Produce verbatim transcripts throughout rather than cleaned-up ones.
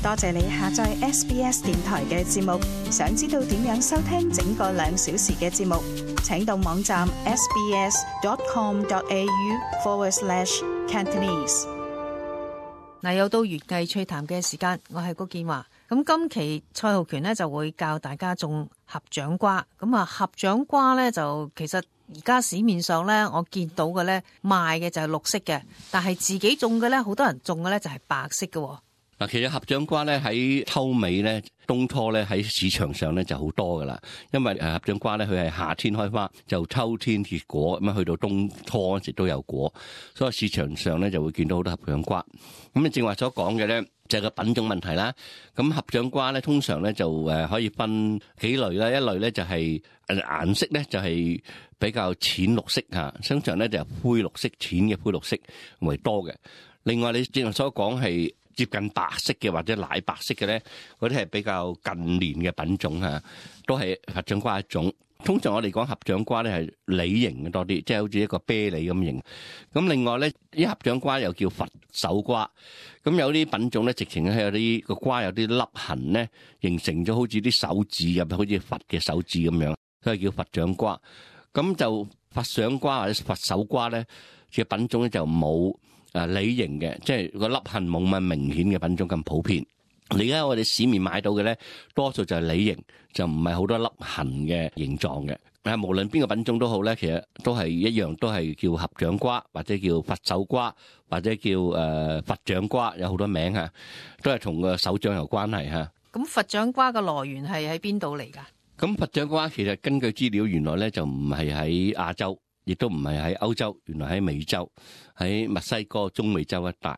多謝你下載 S B S 電台嘅節目。想知道點樣收聽整個兩小時嘅節目，請到網站 sbs.com.au forward slash Cantonese。嗱，又到園藝趣談嘅時間，我係高建華。咁今期蔡浩權呢就會教大家種合掌瓜。咁啊，合掌瓜呢就其實而家市面上呢，我見到嘅呢賣嘅就係綠色嘅，但係自己種嘅呢，好多人種嘅呢就係白色嘅。嗱，其實合掌瓜咧喺秋尾咧、冬初咧喺市場上咧就好多噶啦，因為誒合掌瓜咧佢係夏天開花，就秋天結果，咁啊去到冬初嗰時都有果，所以市場上咧就會見到好多合掌瓜。咁你正話所講嘅咧就係個品種問題啦。咁合掌瓜咧通常咧就誒可以分幾類啦，一類咧就係誒顏色咧就係比較淺綠色嚇，通常咧就係灰綠色、淺嘅灰綠色為多嘅。另外你正話所講係接近白色嘅或者奶白色嘅咧，嗰啲係比較近年嘅品種嚇，都係合掌瓜一種。通常我哋講合掌瓜咧係梨形嘅多啲，即係好似一個啤梨咁形。咁另外咧，啲合掌瓜又叫佛手瓜。咁有啲品種咧，直情係有啲個瓜有啲凹痕咧，形成咗好似啲手指入，好似佛嘅手指咁樣，所以叫佛掌瓜。咁就佛掌瓜或者佛手瓜咧嘅品種咧就冇誒梨形嘅，即係個凹痕冇咁明顯嘅品種咁普遍。而家我哋市面買到嘅咧，多數就係梨形，就唔係好多凹痕嘅形狀嘅。誒，無論邊個品種都好咧，其實都係一樣，都係叫合掌瓜，或者叫佛手瓜，或者叫誒佛掌瓜，有好多名嚇，都係同個手掌有關係嚇。咁佛掌瓜嘅來源係喺邊度嚟㗎？咁佛掌瓜其實根據資料，原來咧就唔係喺亞洲，亦都唔係喺歐洲，原來喺美洲，喺墨西哥、中美洲一帶。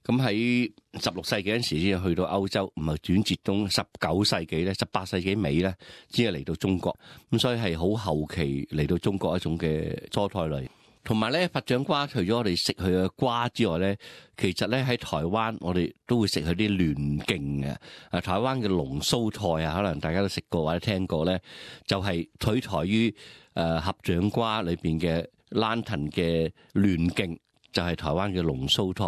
咁喺十六世紀嗰陣時先去到歐洲，唔係轉折到十九世紀咧、十八世紀尾咧，先係嚟到中國。咁所以係好後期嚟到中國一種嘅蔬菜類。同埋咧，佛掌瓜除咗我哋食佢嘅瓜之外咧，其實咧喺台灣我哋都會食佢啲嫩莖嘅。啊，台灣嘅龍鬚菜啊，可能大家都食過或者聽過咧，就係取材於誒合掌瓜裏邊嘅蘭藤嘅嫩莖。就係台灣嘅龍鬚菜，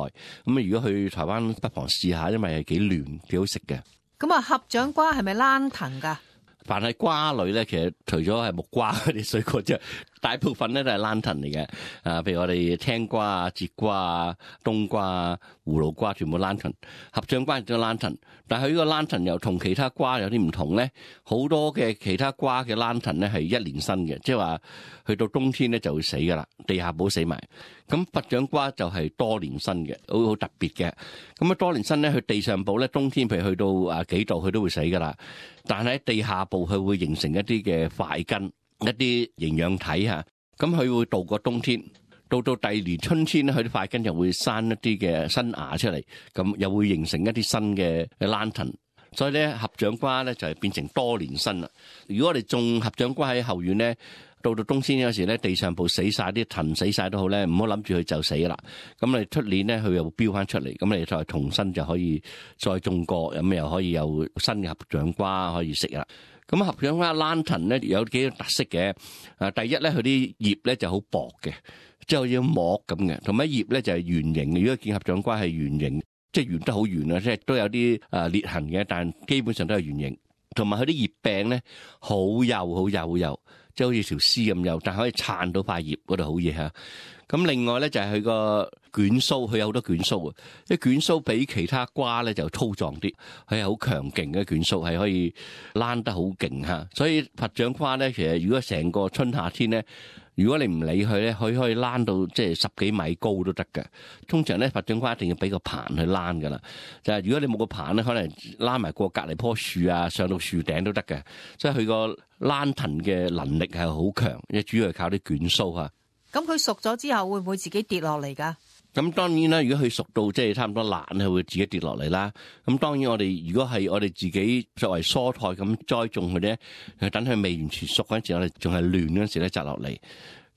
咁啊如果去台灣不妨試下，因為係幾嫩幾好食嘅。咁啊，合掌瓜係咪蘭藤㗎？凡係瓜類咧，其實除咗係木瓜嗰啲水果之外，大部分咧都係蘭藤嚟嘅。啊，譬如我哋青瓜啊、節瓜啊、冬瓜啊、葫蘆瓜，全部蘭藤。合掌瓜亦都蘭藤，但係佢呢個蘭藤又同其他瓜有啲唔同咧。好多嘅其他瓜嘅蘭藤咧係一年生嘅，即係話去到冬天咧就會死噶啦，地下寶死埋。咁佛掌瓜就係多年生嘅，好好特別嘅。咁啊多年生咧，佢地上寶咧冬天譬如去到啊幾度，佢都會死噶啦。但係喺地下部佢會形成一啲嘅塊根，一啲營養體嚇，咁佢會度過冬天，到到第二年春天咧，佢啲塊根就會生一啲嘅新芽出嚟，咁又會形成一啲新嘅蘭藤。所以咧，合掌瓜咧就係變成多年生啦。如果我哋種合掌瓜喺後院咧，到到冬天有時咧，地上部死晒啲藤死晒都好咧，唔好諗住佢就死啦。咁你出年咧，佢又會飆翻出嚟，咁你再重新就可以再種過，咁又可以有新嘅合掌瓜可以食啦。咁合掌瓜蘭藤咧有幾個特色嘅。啊，第一咧，佢啲葉咧就好薄嘅，即係好似膜咁嘅，同埋葉咧就係圓形嘅。如果見合掌瓜係圓形，即係圓得好圓啊，即係都有啲啊裂痕嘅，但基本上都係圓形。同埋佢啲葉柄咧好幼好幼好幼，即係好似條絲咁幼，但係可以撐到塊葉嗰度好嘢嚇。咁另外咧就係佢個卷鬚，佢有好多卷鬚啊！啲卷鬚比其他瓜咧就粗壯啲，佢係好強勁嘅卷鬚，係可以躝得好勁嚇。所以佛掌瓜咧，其實如果成個春夏天咧，如果你唔理佢咧，佢可以躝到即係十幾米高都得嘅。通常咧，佛掌瓜一定要俾個棚去躝噶啦。就係如果你冇個棚咧，可能躝埋過隔離棵樹啊，上到樹頂都得嘅。所以佢個躝藤嘅能力係好強，因為主要係靠啲卷鬚嚇。咁佢熟咗之後會唔會自己跌落嚟㗎？咁當然啦，如果佢熟到即係差唔多爛，佢會自己跌落嚟啦。咁當然我哋如果係我哋自己作為蔬菜咁栽種佢咧，等佢未完全熟嗰陣時，我哋仲係嫩嗰陣時咧摘落嚟。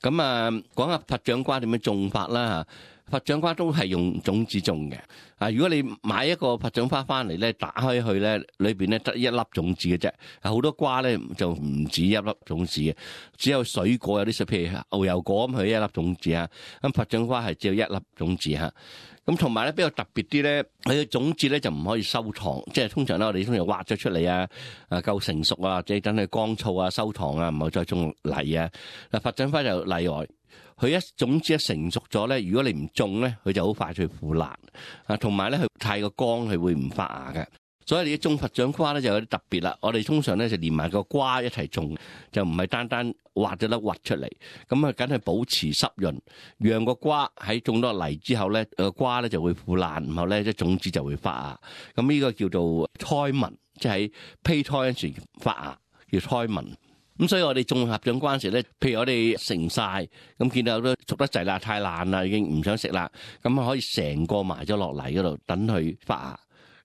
咁啊，講下佛掌瓜點樣種法啦佛掌瓜都係用種子種嘅。啊，如果你買一個佛掌花翻嚟咧，打開去咧，裏邊咧得一粒種子嘅啫。好多瓜咧就唔止一粒種子嘅，只有水果有啲水，譬如牛油果咁，佢一粒種子啊。咁佛掌瓜係只有一粒種子嚇。咁同埋咧比較特別啲咧，佢嘅種子咧就唔可以收藏，即係通常咧我哋通常挖咗出嚟啊，啊夠成熟啊，即係等佢乾燥啊、收藏啊，唔好再種泥啊。嗱，佛掌花就例外。佢一種子一成熟咗咧，如果你唔種咧，佢就好快脆腐爛啊，同埋咧佢太過乾，佢會唔發芽嘅。所以你種佛掌瓜咧就有啲特別啦。我哋通常咧就連埋個瓜一齊種，就唔係單單挖咗粒核出嚟。咁啊，梗係保持濕潤，讓個瓜喺種落泥之後咧，個瓜咧就會腐爛，然後咧啲種子就會發芽。咁呢個叫做胎紋，即係胚胎嗰時發芽叫胎紋。咁所以我哋種合掌瓜嗰時咧，譬如我哋成晒，咁見到都熟得滯啦，太爛啦，已經唔想食啦，咁啊可以成個埋咗落泥嗰度，等佢發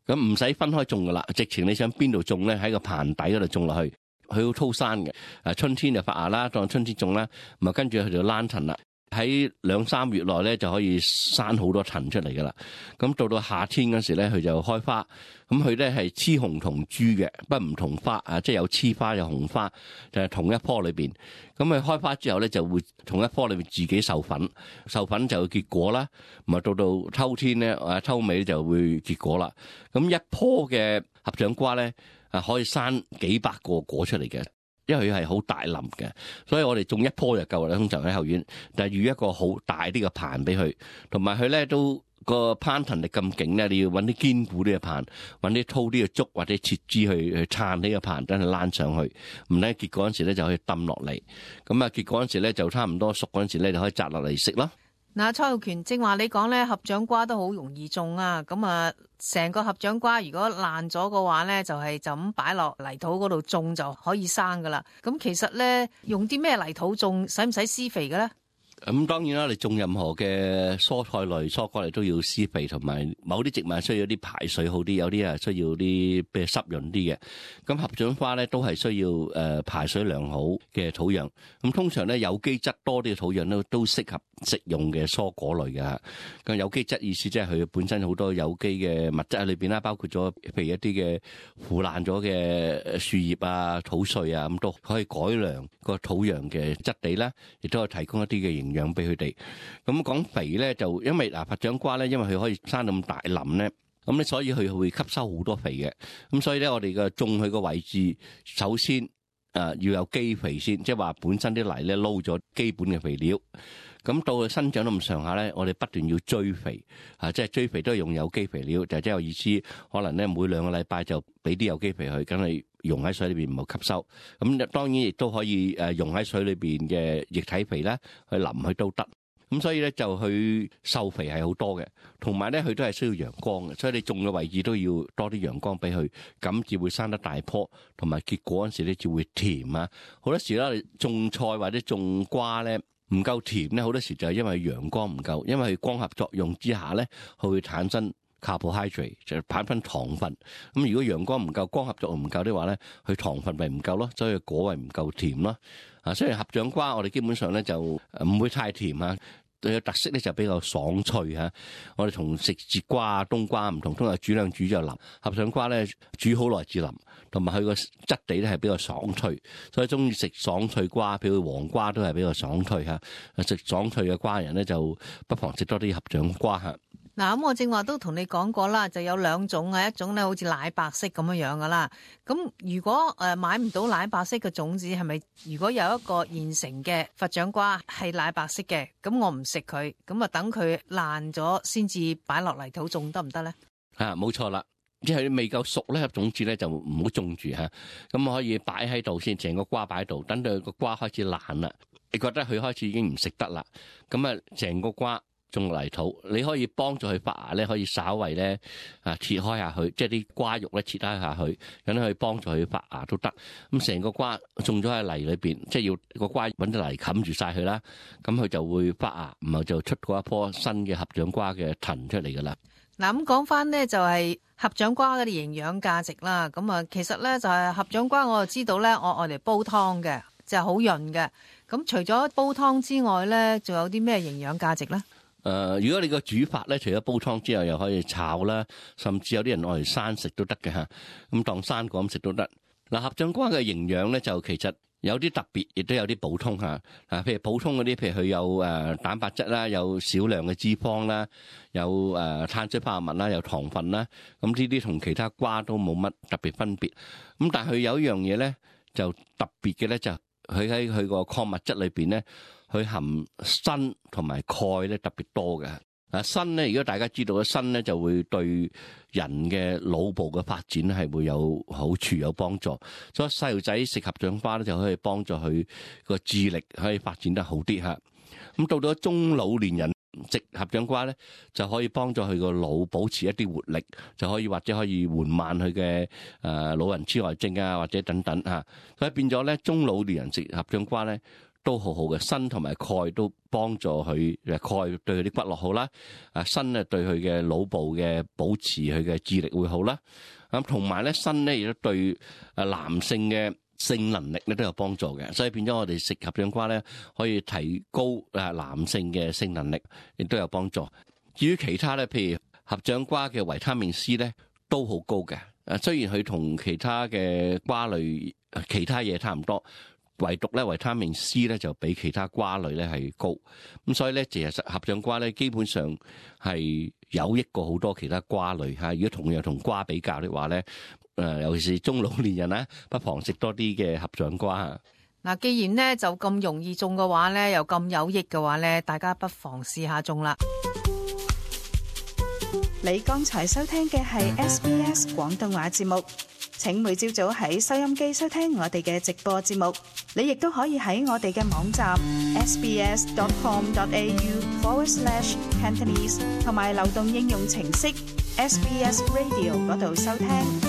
芽。咁唔使分開種噶啦，直情你想邊度種咧，喺個棚底嗰度種落去，佢好粗生嘅。啊，春天就發芽啦，當春天種啦，咁啊跟住佢就躝藤啦。喺兩三月內咧就可以生好多藤出嚟噶啦。咁到到夏天嗰時咧，佢就開花。咁佢咧係雌雄同株嘅，不唔同花啊，即係有雌花有雄花，就係同一棵裏邊。咁佢開花之後咧，就會同一棵裏邊自己授粉，授粉就會結果啦。咁啊到到秋天咧，啊秋尾就會結果啦。咁一棵嘅合掌瓜咧，啊可以生幾百個果出嚟嘅。因為佢係好大林嘅，所以我哋種一棵就夠啦。通常喺後院，但係預一個好大啲嘅棚俾佢，同埋佢咧都個攀藤力咁勁咧，你要揾啲堅固啲嘅棚，揾啲粗啲嘅竹或者切枝去去撐呢個棚，等佢躝上去。唔咧結果嗰時咧就可以抌落嚟。咁啊結果嗰時咧就差唔多熟嗰陣時咧就可以摘落嚟食咯。嗱，蔡浩權正話你講咧，合掌瓜都好容易種啊。咁啊，成個合掌瓜如果爛咗嘅話咧，就係就咁擺落泥土嗰度種就可以生噶啦。咁其實咧，用啲咩泥土種，使唔使施肥嘅咧？咁當然啦，你種任何嘅蔬菜類、蔬果類都要施肥，同埋某啲植物需要啲排水好啲，有啲啊需要啲比較濕潤啲嘅。咁合掌花咧都係需要誒排水良好嘅土壤。咁通常咧有機質多啲嘅土壤咧都適合食用嘅蔬果類嘅。咁有機質意思即係佢本身好多有機嘅物質喺裏邊啦，包括咗譬如一啲嘅腐爛咗嘅樹葉啊、土碎啊，咁都可以改良個土壤嘅質地啦，亦都可以提供一啲嘅營養俾佢哋。咁講肥咧，就因為嗱佛掌瓜咧，因為佢可以生到咁大林咧，咁咧所以佢會吸收好多肥嘅。咁所以咧，我哋嘅種佢個位置，首先誒要有基肥先，即係話本身啲泥咧撈咗基本嘅肥料。咁到佢生長到咁上下咧，我哋不斷要追肥，啊，即係追肥都係用有機肥料，就即係有意思，可能咧每兩個禮拜就俾啲有機肥佢，梗係溶喺水裏邊唔好吸收。咁當然亦都可以誒溶喺水裏邊嘅液體肥咧，去淋佢都得。咁所以咧就佢授肥係好多嘅，同埋咧佢都係需要陽光嘅，所以你種嘅位置都要多啲陽光俾佢，咁至會生得大棵，同埋結果嗰陣時咧就會甜啊。好多時咧種菜或者種瓜咧，唔夠甜咧，好多時就係因為陽光唔夠，因為佢光合作用之下咧，佢會產生 carbohydrate 就係產生糖分。咁如果陽光唔夠，光合作用唔夠的話咧，佢糖分咪唔夠咯，所以果味唔夠甜咯。啊，雖然合掌瓜我哋基本上咧就唔會太甜啊，佢嘅特色咧就比較爽脆嚇。我哋同食節瓜啊、冬瓜唔同，通常煮兩煮就腍，合掌瓜咧煮好耐至腍，同埋佢個質地咧係比較爽脆，所以中意食爽脆瓜，譬如黃瓜都係比較爽脆嚇。食爽脆嘅瓜人咧就不妨食多啲合掌瓜嚇。嗱，咁我正話都同你講過啦，就有兩種啊，一種咧好似奶白色咁樣樣噶啦。咁如果誒買唔到奶白色嘅種子，係咪如果有一個現成嘅佛掌瓜係奶白色嘅，咁我唔食佢，咁啊等佢爛咗先至擺落泥土種得唔得咧？啊，冇錯啦，即係未夠熟咧，種子咧就唔好種住嚇。咁可以擺喺度先，成個瓜擺喺度，等到個瓜開始爛啦，你覺得佢開始已經唔食得啦，咁啊成個瓜種泥土，你可以幫助佢發芽咧，可以稍為咧啊切開下佢，即係啲瓜肉咧切開下佢，咁可以幫助佢發芽都得。咁成個瓜種咗喺泥裏邊，即係要個瓜揾啲泥冚住晒佢啦，咁佢就會發芽，然後就出過一棵新嘅合掌瓜嘅藤出嚟噶啦。嗱，咁講翻呢，就係合掌瓜嗰啲營養價值啦。咁啊，其實咧就係合掌瓜，我就知道咧，我愛嚟煲湯嘅，就係好潤嘅。咁除咗煲湯之外咧，仲有啲咩營養價值咧？誒，如果你個煮法咧，除咗煲湯之外，又可以炒啦，甚至有啲人愛嚟生食都得嘅嚇，咁當生果咁食都得。嗱，合掌瓜嘅營養咧，就其實有啲特別，亦都有啲補充嚇。啊，譬如普通嗰啲，譬如佢有誒蛋白質啦，有少量嘅脂肪啦，有誒碳水化合物啦，有糖分啦，咁呢啲同其他瓜都冇乜特別分別。咁但係佢有一樣嘢咧，就特別嘅咧，就佢喺佢個礦物質裏邊咧，佢含砷同埋鈣咧特別多嘅。啊，砷咧，如果大家知道嘅砷咧，就會對人嘅腦部嘅發展係會有好處有幫助。所以細路仔食合掌瓜咧，就可以幫助佢個智力可以發展得好啲嚇。咁到咗中老年人食合掌瓜咧，就可以幫助佢個腦保持一啲活力，就可以或者可以緩慢佢嘅誒老人痴呆症啊，或者等等嚇。所以變咗咧，中老年人食合掌瓜咧，都好好嘅，砷同埋鈣都幫助佢，誒鈣對佢啲骨骼好啦，啊砷咧對佢嘅腦部嘅保持佢嘅智力會好啦，咁同埋咧砷咧亦都對誒男性嘅性能力咧都有幫助嘅，所以變咗我哋食合掌瓜咧可以提高誒男性嘅性能力，亦都有幫助。至於其他咧，譬如合掌瓜嘅維他命 C 咧都好高嘅，誒雖然佢同其他嘅瓜類其他嘢差唔多。唯獨咧維他命 C 咧就比其他瓜類咧係高，咁所以咧其實合掌瓜咧基本上係有益過好多其他瓜類嚇。如果同樣同瓜比較的話咧，誒尤其是中老年人咧，不妨食多啲嘅合掌瓜嚇。嗱，既然咧就咁容易種嘅話咧，又咁有益嘅話咧，大家不妨試下種啦。你剛才收聽嘅係 S B S 廣東話節目。請每朝早喺收音機收聽我哋嘅直播節目，你亦都可以喺我哋嘅網站 sbs.com.au forward slash Cantonese 同埋流動應用程式 S B S Radio 嗰度收聽。